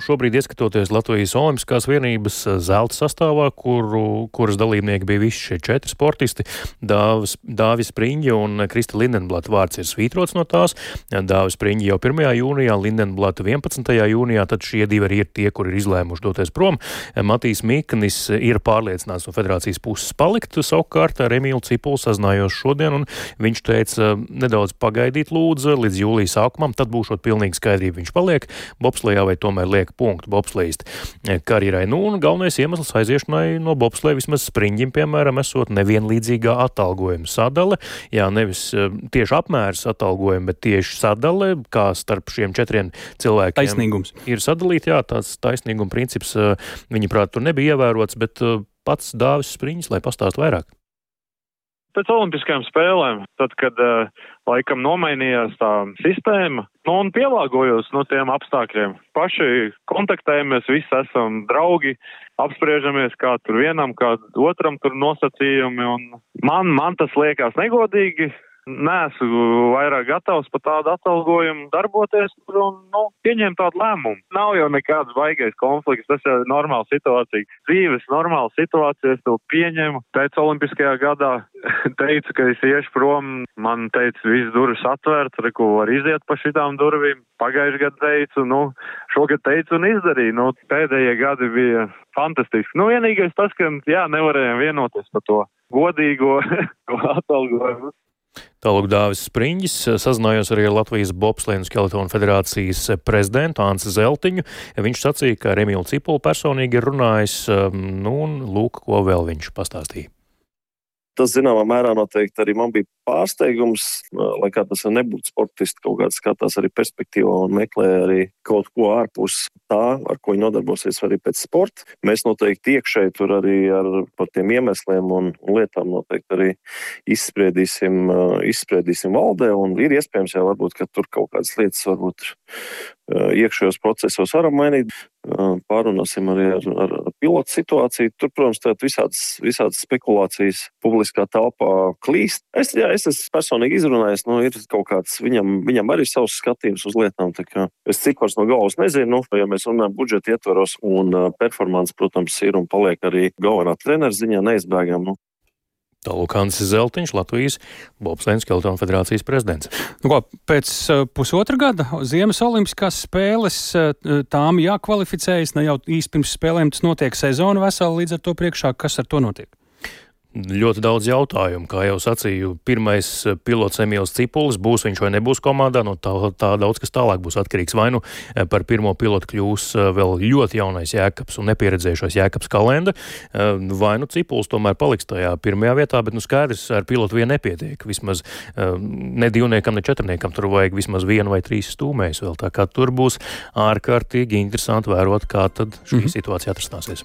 Šobrīd, ieskatoties Latvijas Olimpiskās vienības zelta sastāvā, kuras dalībnieki bija visi šie 4 sportisti, Dāvis Spriņģa un Krista Lindenblata vārds ir svītrots no tās. Dāvis Spriņģa jau 1. jūnijā, Lindenblata 11. jūnijā, tad šie divi arī ir tie, kuri ir izlēmuši doties prom. Matīs Mikanis ir pārliecināts no federācijas puses palikt, savukārt ar Emīlu Cipulu sazinājos šodien, un viņš teica nedaudz pagaidīt lūdzu līdz jūlija sākumam, tad būšot pilnīgi skaidrība, viņš paliek bobslejā vai tomēr liek punktu bobslejist karjerai. Un galvenais iemesls aiziešanai no bobsleja vismaz Spriņģim, piemēram, esot nevienlīdzīgā atalgojuma sadale. Jā, nevis tieši apmērs atalgojuma, bet tieši sadale, kā starp šiem 4 cilvēkiem taisnīgums ir sadalīti. Jā, tāds taisnīguma princips, viņa prāt, tur nebija ievērots, bet pats Dāvis Spriņģis, lai pastāst vairāk. Pēc olimpiskajām spēlēm, tad, kad laikam nomainījās tā sistēma, un pielāgojos tiem apstākļiem. Paši kontaktējamies, visi esam draugi, apspriežamies, kā tur vienam, kā otram tur nosacījumi, un man tas liekas negodīgi. Neesmu vairāk gatavs par tādu atalgojumu darboties un pieņemt tādu lēmumu. Nav jau nekāds baigais konflikts, tas jau ir normāla situācija. Dzīves normāla situācija, es to pieņemu. Pēc olimpiskajā gadā teicu, ka es iešu prom. Man teica, viss durvis atvērts, ko var iziet pa šitām durvīm. Pagājuši gadu teicu, šogad teicu un izdarīju. Pēdējie gadi bija fantastiski. Vienīgais tas, ka nevarējām vienoties par to godīgo atalgojumu. Tālūk Dāvis Spriņģis, sazinājos arī ar Latvijas bobsleja un skeletonu federācijas prezidentu Anci Zeltiņu. Viņš sacīja, ka ar Emīlu Cipulu personīgi ir runājis, un lūk, ko vēl viņš pastāstīja. Tas, zināmā mērā, noteikti arī man bija pārsteigums, lai kā tas nebūtu sportisti, kaut kāds skatās arī perspektīvā un meklē arī kaut ko ārpus tā, ar ko viņi nodarbosies arī pēc sporta. Mēs noteikti iekšēji tur arī par tiem iemesliem un lietām noteikti arī izspriedīsim valdē, un ir iespējams jau varbūt, ka tur kaut kādas lietas varbūt iekšējos procesos varam mainīt. Pārunāsim arī ar pilotu situāciju. Tur, protams, visādas spekulācijas publiskā telpā klīst. Es esmu personīgi izrunājis, ir kaut kāds, viņam arī savs skatījums uz lietām, tā kā es cipars no galvas nezinu, ja mēs runājam budžeta ietvaros, un performance, protams, ir un paliek arī galvenā trenera ziņā neizbēgam. Tālūk Ancis Zeltiņš, Latvijas bobsleja un skeletonu federācijas prezidents. Pēc pusotra gada Ziemas olimpiskās spēles tām jākvalificējas, ne jau īsti pirms spēlēm tas notiek sezona vesela, līdz ar to priekšā, kas ar to notiek? Ļoti daudz jautājumu, kā jau sacīju. Pirmais pilots Emīls Cipulis, būs viņš vai nebūs komandā, tā daudz kas tālāk būs atkarīgs. Vai par pirmo pilotu kļūs vēl ļoti jaunais Jēkabs un nepieredzējušais Jēkabs Kalenda, vai Cipulis tomēr paliks tajā pirmajā vietā, bet skaidrs, ar pilotu vien nepietiek. Vismaz ne 2, ne 4, tur vajag vismaz 1 vai 3 stūmējus vēl. Tā kā tur būs ārkārtīgi interesanti vērot, kā tad šī situācija atrastāsies.